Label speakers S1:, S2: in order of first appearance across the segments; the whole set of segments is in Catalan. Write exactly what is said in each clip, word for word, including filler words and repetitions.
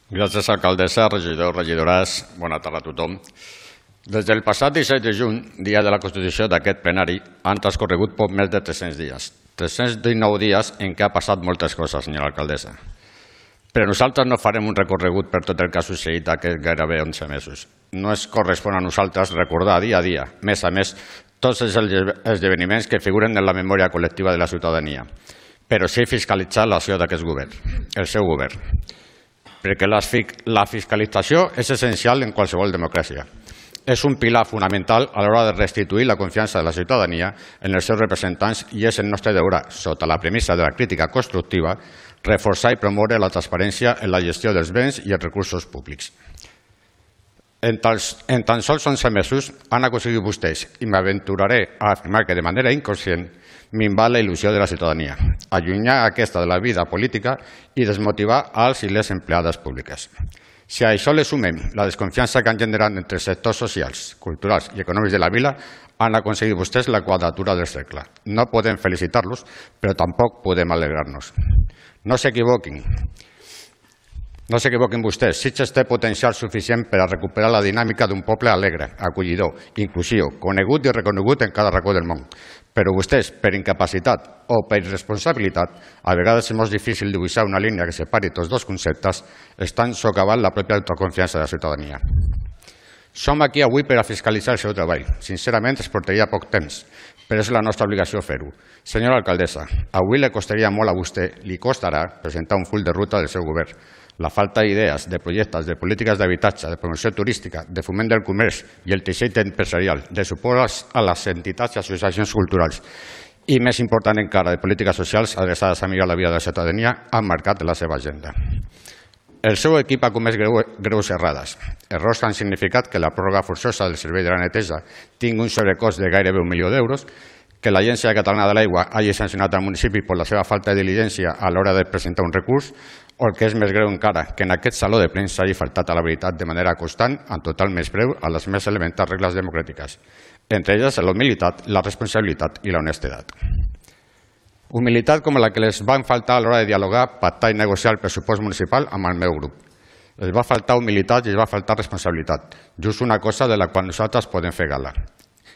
S1: Gràcies, alcaldessa, regidors, regidores. Bona tarda a tothom. Des del passat disset de juny, dia de la constitució d'aquest plenari, han transcorregut poc més de tres-cents dies. tres-cents dinou dies en què ha passat moltes coses, senyora alcaldessa. Però nosaltres no farem un recorregut per tot el que ha succeït aquests gairebé onze mesos. No es correspon a nosaltres recordar dia a dia, mes a mes, tots els esdeveniments que figuren en la memòria col·lectiva de la ciutadania, però sí fiscalitzar l'acció d'aquest govern, el seu govern. Perquè la fiscalització és essencial en qualsevol democràcia. És un pilar fonamental a l'hora de restituir la confiança de la ciutadania en els seus representants i és el nostre deure, sota la premissa de la crítica constructiva, reforçar i promoure la transparència en la gestió dels béns i els recursos públics. En tan sols onze mesos han aconseguit vostès, i m'aventuraré a afirmar que de manera inconscient, minvar la il·lusió de la ciutadania, allunyar aquesta de la vida política i desmotivar als i les empleades públiques. Si a això li sumem la desconfiança que han generat entre els sectors socials, culturals i econòmics de la vila, han aconseguit vostès la quadratura del cercle. No podem felicitar-los, però tampoc podem alegrar-nos. No s'equivoquin. No s'equivoquin vostès. Sitges té potencial suficient per a recuperar la dinàmica d'un poble alegre, acollidor, inclusiu, conegut i reconegut en cada racó del món. Però vostès, per incapacitat o per irresponsabilitat, a vegades és molt difícil dibuixar una línia que separi tots dos conceptes, estan socavant la pròpia autoconfiança de la ciutadania. Som aquí avui per a fiscalitzar el seu treball. Sincerament, es portaria poc temps, però és la nostra obligació fer-ho. Senyora alcaldessa, avui li costaria molt a vostè, li costarà presentar un full de ruta del seu govern. La falta d'idees, de projectes, de polítiques d'habitatge, de promoció turística, de foment del comerç i el teixit empresarial, de suport a les entitats i associacions culturals i, més important encara, de polítiques socials adreçades a millorar la vida de la ciutadania, han marcat la seva agenda. El seu equip ha comès greus errades. Errors que han significat que la pròrroga forçosa del servei de la neteja tingui un sobrecost de gairebé un milió d'euros, que l'Agència Catalana de l'Aigua hagi sancionat al municipi per la seva falta de diligència a l'hora de presentar un recurs, o el que és més greu encara, que en aquest saló de plens s'hagi faltat a la veritat de manera constant, en total menyspreu a les més elementals regles democràtiques, entre elles la humilitat, la responsabilitat i la honestedat. Humilitat com la que les van faltar a l'hora de dialogar, pactar i negociar el pressupost municipal amb el meu grup. Els va faltar humilitat i els va faltar responsabilitat, just una cosa de la qual nosaltres podem fer gala,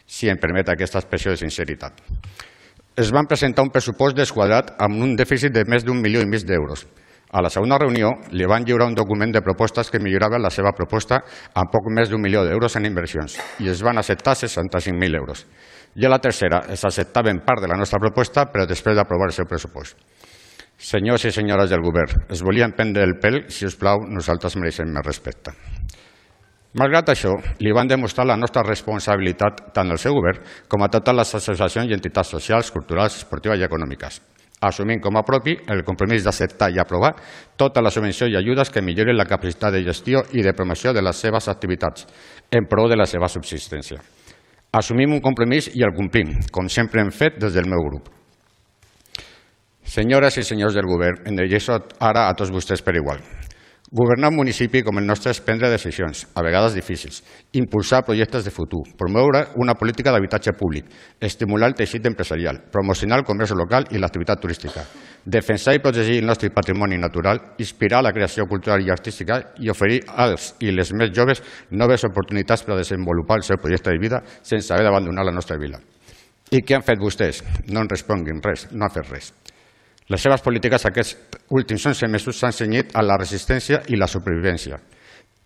S1: si em permet aquesta expressió de sinceritat. Es van presentar un pressupost desquadrat amb un dèficit de més d'un milió i mig d'euros. A la segona reunió li van lliurar un document de propostes que millorava la seva proposta amb poc més d'un milió d'euros en inversions i es van acceptar seixanta-cinc mil euros. I a la tercera es acceptaven part de la nostra proposta però després d'aprovar el seu pressupost. Senyors i senyores del govern, es volien prendre el pèl, si us plau, nosaltres mereixem més respecte. Malgrat això, li van demostrar la nostra responsabilitat tant al seu govern com a totes les associacions i entitats socials, culturals, esportives i econòmiques, assumint com a propi el compromís d'acceptar i aprovar tota la subvenció i ajudes que millorin la capacitat de gestió i de promoció de les seves activitats en pro de la seva subsistència. Assumim un compromís i el complim, com sempre hem fet des del meu grup. Senyores i senyors del govern, em dirigeixo ara a tots vostès per igual. Governar un municipi com el nostre és prendre decisions, a vegades difícils, impulsar projectes de futur, promoure una política d'habitatge públic, estimular el teixit empresarial, promocionar el comerç local i l'activitat turística, defensar i protegir el nostre patrimoni natural, inspirar la creació cultural i artística i oferir als i les més joves noves oportunitats per a desenvolupar el seu projecte de vida sense haver d'abandonar la nostra vila. I què han fet vostès? No en responguin res, no han fet res. Les seves polítiques aquests últims onze mesos s'han cenyit a la resistència i la supervivència.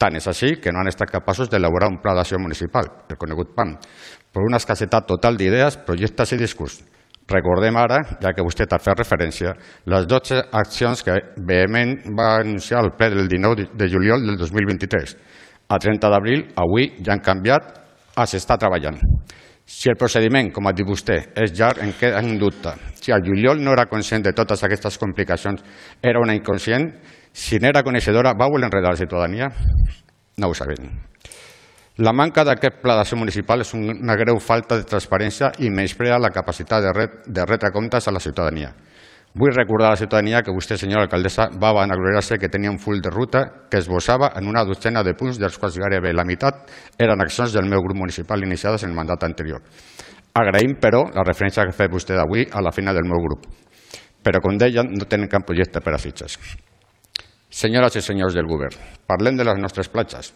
S1: Tant és així que no han estat capaços d'elaborar un pla d'acció municipal, el conegut P A M, per una escassetat total d'idees, projectes i discurs. Recordem ara, ja que vostè ha fet referència, les dotze accions que vehement va anunciar el ple del dinou de juliol del dos mil vint-i-tres. A trenta d'abril, avui, ja han canviat, a s'està treballant. Si el procediment, com ha dit vostè, és llarg, en queda en dubte. Si el juliol no era conscient de totes aquestes complicacions, era una inconscient, si n'era coneixedora, va voler enredar la ciutadania? No ho sabem. La manca d'aquest pla d'acció municipal és una greu falta de transparència i menysprea la capacitat de retre comptes a la ciutadania. Vull recordar a la ciutadania que vostè, senyora alcaldessa, va vanagloriar-se que tenia un full de ruta que esbossava en una dotzena de punts, dels quals gairebé la meitat eren accions del meu grup municipal iniciades en el mandat anterior. Agraïm, però, la referència que ha fet vostè d'avui a la feina del meu grup. Però, com deia, no tenen cap projecte per a Sitges. Senyores i senyors del govern, parlem de les nostres platges.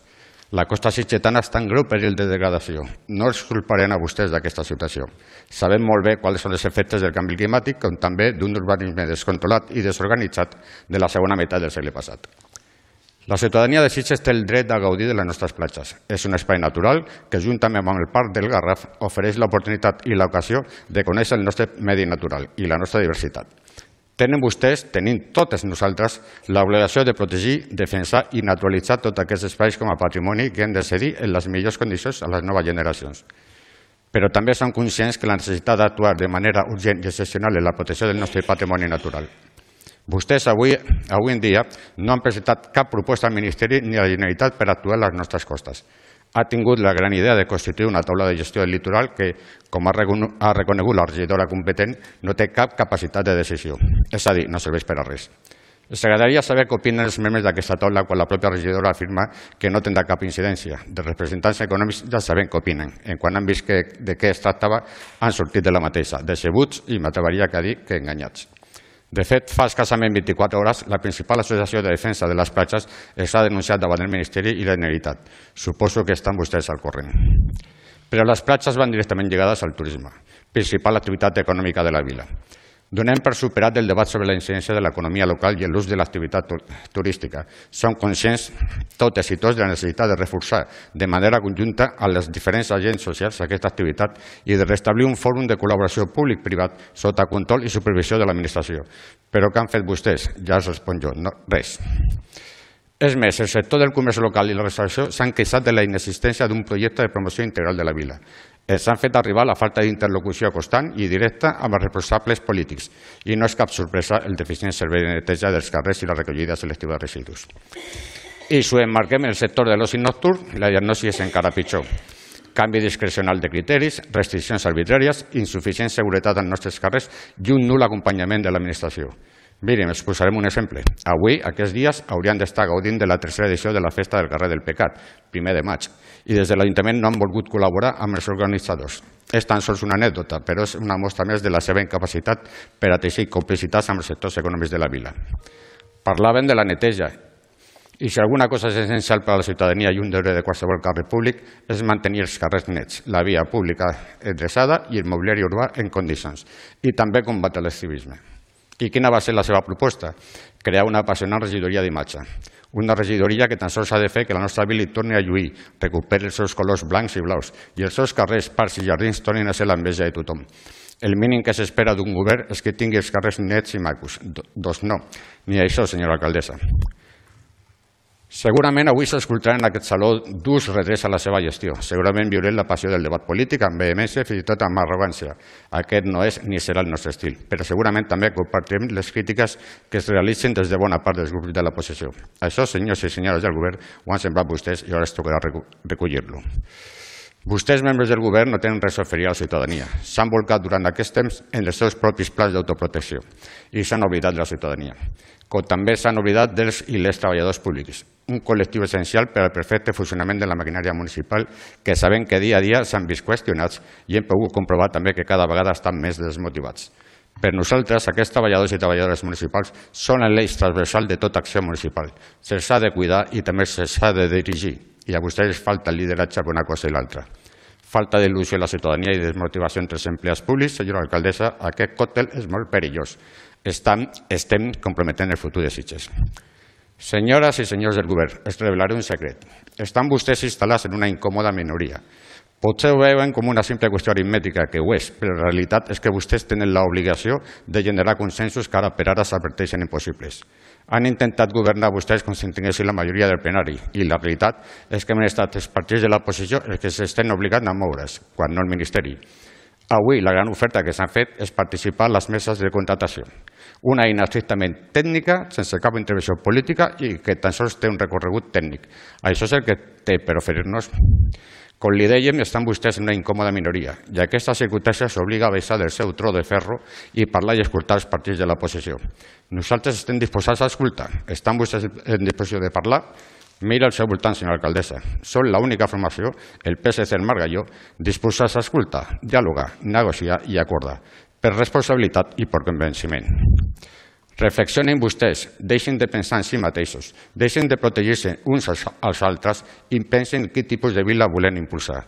S1: La costa sitgetana està en greu perill de degradació. No els culparem a vostès d'aquesta situació. Sabem molt bé quals són els efectes del canvi climàtic, com també d'un urbanisme descontrolat i desorganitzat de la segona meitat del segle passat. La ciutadania de Sitges té el dret a gaudir de les nostres platges. És un espai natural que, juntament amb el Parc del Garraf, ofereix l'oportunitat i l'ocasió de conèixer el nostre medi natural i la nostra diversitat. Tenen vostès, tenim totes nosaltres, l'obligació de protegir, defensar i naturalitzar tots aquests espais com a patrimoni que hem de cedir en les millors condicions a les noves generacions. Però també som conscients que la necessitat d'actuar de manera urgent i excepcional en la protecció del nostre patrimoni natural. Vostès avui, avui en dia no han presentat cap proposta al Ministeri ni a la Generalitat per actuar a les nostres costes. Ha tingut la gran idea de constituir una taula de gestió del litoral que, com ha reconegut la regidora competent, no té cap capacitat de decisió. És a dir, no serveix per a res. Ens agradaria saber què opinen els membres d'aquesta taula quan la pròpia regidora afirma que no tindrà cap incidència. De representants econòmics ja sabem què opinen. En quan han vist que, de què es tractava, han sortit de la mateixa, decebuts i m'atreviria a dir que enganyats. De fet, fa escassament vint-i-quatre hores, la principal associació de defensa de les platges s'ha denunciat davant el Ministeri i la Generalitat. Suposo que estan vostès al corrent. Però les platges van directament lligades al turisme, principal activitat econòmica de la vila. Donem per superat el debat sobre la incidència de l'economia local i l'ús de l'activitat turística. Som conscients, totes i tots, de la necessitat de reforçar de manera conjunta a les diferents agents socials aquesta activitat i de restablir un fòrum de col·laboració públic-privat sota control i supervisió de l'administració. Però què han fet vostès? Ja els responc jo. No, res. És més, el sector del comerç local i la restauració s'han queixat de la inexistència d'un projecte de promoció integral de la vila. Els han fet arribar la falta d'interlocució constant i directa amb els responsables polítics i no és cap sorpresa el deficient servei de neteja dels carrers i la recollida selectiva de residus. I si ho emmarquem en el sector de l'oci nocturn, la diagnosi és encara pitjor. Canvi discrecional de criteris, restriccions arbitràries, insuficient seguretat als nostres carrers i un nul acompanyament de l'administració. Miren, us posarem un exemple. Avui, aquests dies, haurien d'estar gaudint de la tercera edició de la Festa del Carrer del Pecat, primer de maig, i des de l'Ajuntament no han volgut col·laborar amb els organitzadors. És tan sols una anècdota, però és una mostra més de la seva incapacitat per a teixir complicitats amb els sectors econòmics de la vila. Parlaven de la neteja, i si alguna cosa és essencial per a la ciutadania i un deure de qualsevol carrer públic és mantenir els carrers nets, la via pública endreçada i el mobiliari urbà en condicions, i també combatre l'exhibicisme. I quina va ser la seva proposta? Crear una apassionant regidoria d'imatge. Una regidoria que tan sols ha de fer que la nostra vila torni a lluir, recuperi els seus colors blancs i blaus i els seus carrers, parcs i jardins tornin a ser l'enveja de tothom. El mínim que s'espera d'un govern és que tingui els carrers nets i macos. Doncs no, ni això, senyora alcaldessa. Segurament avui s'escoltarà en aquest saló durs retrets a la seva gestió. Segurament viurem la passió del debat polític amb vehemència, fins i tot amb arrogància. Aquest no és ni serà el nostre estil, però segurament també compartirem les crítiques que es realitzen des de bona part dels grups de l'oposició. Això, senyors i senyores del govern, ho han sembrat vostès i ara es tocarà recollir-lo. Vostès, membres del govern, no tenen res a oferir a la ciutadania. S'han volcat durant aquest temps en els seus propis plans d'autoprotecció i s'han oblidat de la ciutadania, com també s'han oblidat dels i les treballadors públics, un col·lectiu essencial per al perfecte funcionament de la maquinària municipal que sabem que dia a dia s'han vist qüestionats i hem pogut comprovar també que cada vegada estan més desmotivats. Per nosaltres, aquests treballadors i treballadores municipals són l'eix transversal de tota acció municipal. Se'ls ha de cuidar i també se'ls ha de dirigir. I a vostès els falta el lideratge per una cosa i l'altra. Falta d'il·lusió a la ciutadania i desmotivació entre els empleats públics. Senyora alcaldessa, aquest còctel és molt perillós. Estem, estem comprometent el futur de Sitges. Senyores i senyors del govern, es revelaré un secret. Estan vostès instal·lats en una incòmoda minoria. Potser ho veuen com una simple qüestió aritmètica, que ho és, però la realitat és que vostès tenen l'obligació de generar consensos que ara per ara s'adverteixen impossibles. Han intentat governar vostès com si en tinguessin la majoria del plenari i la realitat és que han estat els partits de l'oposició els que s'estan obligant a moure's, quan no el Ministeri. Avui la gran oferta que s'han fet és participar a les meses de contratació. Una eina estrictament tècnica, sense cap intervenció política i que tan sols té un recorregut tècnic. Això és el que té per oferir-nos. Com li dèiem, estan vostès en una incòmoda minoria i aquesta circumstància s'obliga a baixar del seu tro de ferro i parlar i escoltar els partits de l'oposició. Nosaltres estem disposats a escoltar. Estan vostès en disposició de parlar? Mira al seu voltant, senyora alcaldessa. Són l'única formació, el P S C, el Margalló, disposats a escoltar, dialogar, negociar i acordar, per responsabilitat i per convenciment. Reflexionin vostès, deixin de pensar en si mateixos, deixin de protegir-se uns als altres i pensin quin tipus de vila volen impulsar.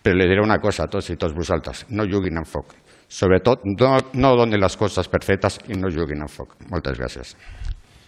S1: Però li diré una cosa a tots i tots vosaltres, no juguin amb foc. Sobretot, no donin les coses per fetes i no juguin amb foc. Moltes gràcies.